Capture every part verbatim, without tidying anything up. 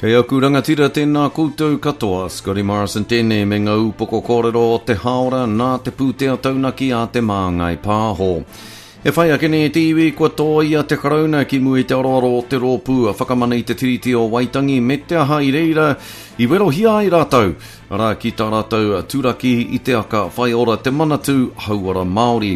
Kei aku rangatira tēnā koutou katoa, Scotty Morrison tēnei me ngā upoko kōrero o te hāora nā te pūtea taunaki a Te Māngai Pāho. E whai ake nei te iwi kua tōia te Karauna ki mua i te aroaro o te rōpū a Whakamana i te Tiriti o Waitangi me te aha i reira i werohia ai rātou, arā ki tā rātou turaki i te aka whaiora te Manatū Hauora Māori.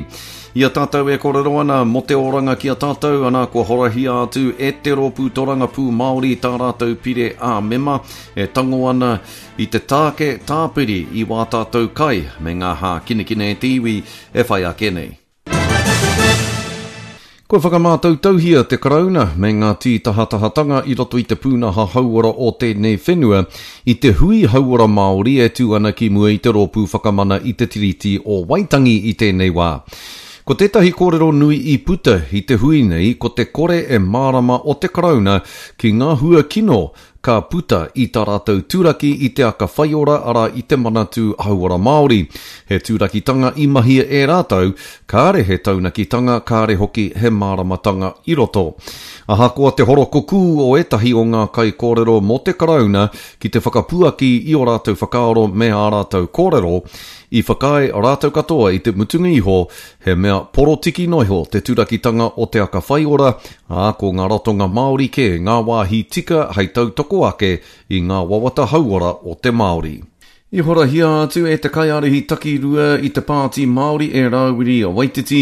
I a tātou e kōrero ana mō te oranga ki a tātou, ana kua horahia atu e te rōpū torangapū Māori tā rātou pire ā-mema e tango ana i te tāke tāpiri i wā tātou kai me ngā hākinakina e te iwi e whai ake nei. Kua whakamātautauhia te Karauna me ngā tītahatahatanga i roto i te pūnaha hauora o tēnei whenua i te hui hauora Māori e tū ana ki mua i te rōpū Whakamana i te Tiriti o Waitangi i tēnei wā. Ko tētahi kōrero nui i puta i te hui nei ko te kore e mārama o te Karauna ki ngā hua kino ka puta i tā rātou turaki i te aka whaiora arā i te Manatū Hauora Māori. He turakitanga i mahia e rātou, kāre he taunakitanga, kāre hoki he māramatanga i roto. Ahakoa te horokukū o ētahi o ngā kaikōrero mō te Karauna ki te whakapuaki i ō rātou whakaaro me ā rātou kōrero, i whakaae rātou katoa i te mutunga iho he mea porotiki noa iho te turakitanga o te aka whaiora, ā, ko ngā ratonga Māori kē ngā wāhi tika hei tautoko ake i ngā wawata hauora o te Māori. I horahia atu e te kaiārahi takirua i te Pāti Māori e Rāwiri Waititi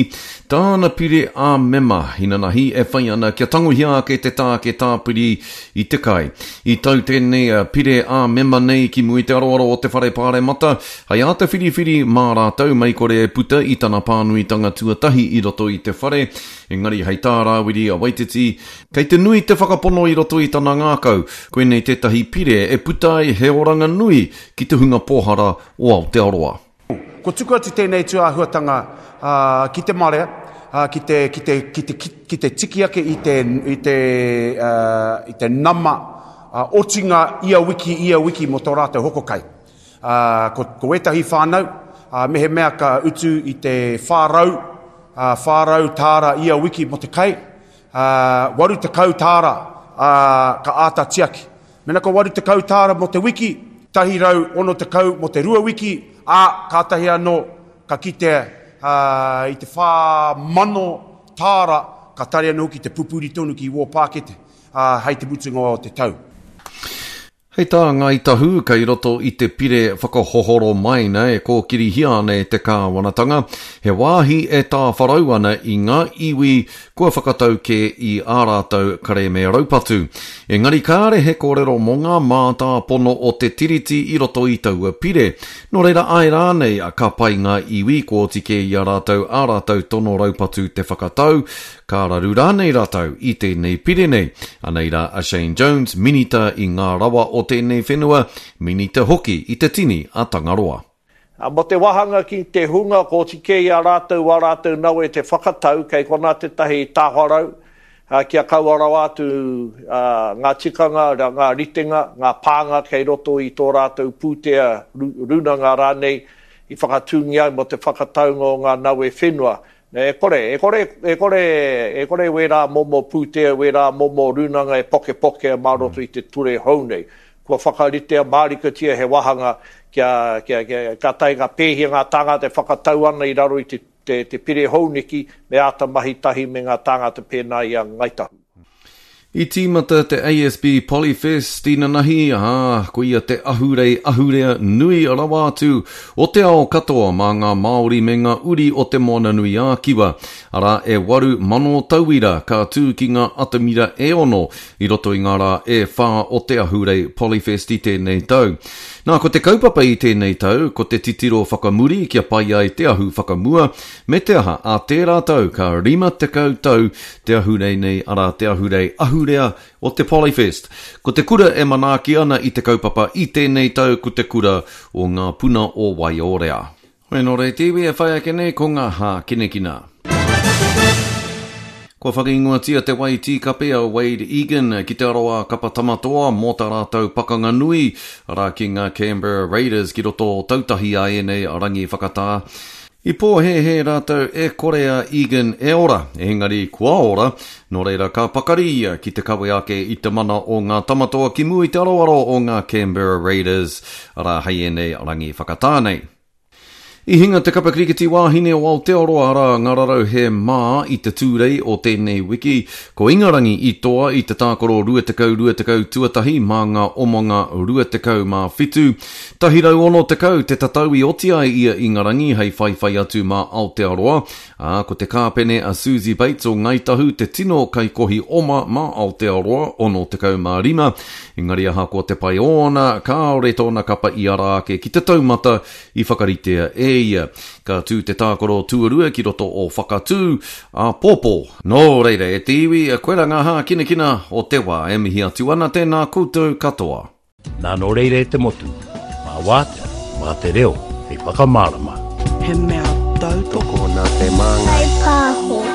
tāna pire ā-mema inanahi e whai ana kia tangohia ake te tāke tāpiri i te kai. I tau tēnei pire ā-mema nei ki mua i te aroaro o te Whare Pāremata, hei āta whiriwhiri mā rātou mei kore e puta i tana pānuitanga tuatahi i roto i te whare. Engari hei tā Rāwiri Waititi, kei te nui te whakapono i roto i tana ngākau, koinei tētahi pire e puta ai he oranga nui ki te hunga pōhara o Aotearoa. Kua tuku atu tēnei tūāhuatanga ki te marea, ki te, ki te, ki te, ki te tiki ake i te, i te, i te nama otinga ia wiki, ia wiki mō tō rātou hoko kai. Ko, ko ētahi whānau, mehemea ka utu i te whā rau, whā rau tāra ia wiki mō te kai, waru tekau tāra ka āta tiaki. Mena ko waru tekau tāra mō te wiki, tahi rau ono tekau mō te rua wiki, ā, kātahi anō ka kitea i te whā mano tāra, ka tari anō hoki te pupuri tonu ki wō pākete, ā, hei te mutunga o te tau. Hei tā Ngāi Tahu, kei roto i te pire whakahohoro maina e kōkirihia ana e te kāwanatanga, he wāhi e tāwharau ana i ngā iwi kua whakatau kē i ā rātou kerēme raupatu. Engari kāre he kōrero mō ngā mātāpono o te Tiriti i roto i taua pire. Nō reira āe rānei ka pai ngā iwi kua oti kē i a rātou ā rātou tono raupatu te whakatau, ka raru rānei rātou i tēnei pire nei. Anei rā a Shane Jones, minita i ngā rawa o tēnei whenua, minita hoki i te tini a Tangaroa. Mō te wāhanga ki te hunga, ko oti kē i a rātou wā rātou nawe te whakatau, kei konā tētahi tāwharau, kia kaua rawa atu ngā tikanga, ngā ritenga, ngā pānga kei roto i tō rātou pūtea rūnanga rānei i whakatūngia ai mō te whakataunga o ngā nawe whenua. E kore, e kore, e kore, e kore wērā momo pūtea, wērā momo rūnanga e pokepokea mā roto i te ture hou nei. Kua whakaritea mārikatia he wāhanga kia, kia, kia, ka tae ngā pēhia ngā tāngata e whakatau ana i raro i te, te, te pire hou neki, me āta mahi tahi me ngā tāngata pēnā i a Ngāi Tahu. I tīmata te A S B Polyfest inanahi, ā, koia te ahurei ahurea nui rawa atu o te ao katoa mā ngā Māori me ngā uri o te Moananui-ā-Kiwa. Arā, e waru mano tauira ka tū ki ngā atamira e ono i roto i ngā rā e whā o te ahurei Polyfest i tēnei tau. Nā, ko te kaupapa i tēnei tau, ko te titiro whakamuri kia pai ai te ahu whakamua, me te aha, ā tērā tau ka rima tekau tau te ahurei nei, arā te ahurei ahurea o te Polyfest. Ko te kura e manaaki ana i te kaupapa i tēnei tau ko te kura o ngā puna o Waiorea. Hoi nō rei te iwi e whai ake nei ko ngā hākinakina. Kua whakaingoatia te wai tīkape a Wade Egan ki te aroā kapa tamatoa mō tā rātou pakanga nui, arā ki ngā Canberra Raiders ki roto o Tautahi a ēnei rangi whakatā. I pōhēhē rātou e kore a Egan e ora, engari kua ora, nō reira ka pakari ia ki te kawe ake i te mana o ngā tamatoa ki mua i te aroaro o ngā Canberra Raiders, arā hei ēnei rangi whakatā nei. I hinga te kapa kirikiti wāhine o Aotearoa arā ngā rarau he mā i te Tūrei o tēnei wiki. Ko Ingarangi i toa i te tākaro rua tekau rua tekau tuatahi mā ngā omanga rua tekau mā whitu. Tahi rau ono tekau te tatau i oti ai ia Ingarangi hei whaiwhai atu mā Aotearoa, ā, ko te kāpene a Suzie Bates o Ngāi Tahu te tino kaikohi oma mā Aotearoa, ono tekau mā rima. Engari ahakoa te pai ōna, kāore tōna kapa i ara ake ki te taumata i whakaritea e ia. Ka tū te tākaro tuarua ki roto o Whakatū, āpōpō. Nō reira, e te iwi, koira ngā hākinakina o te wā e mihi atu ana tēnā koutou katoa. Nā nō reira e te motu, mā wātea, mā te reo, hei whakamārama. He mea tautoko nā te māngai. Whai pāho.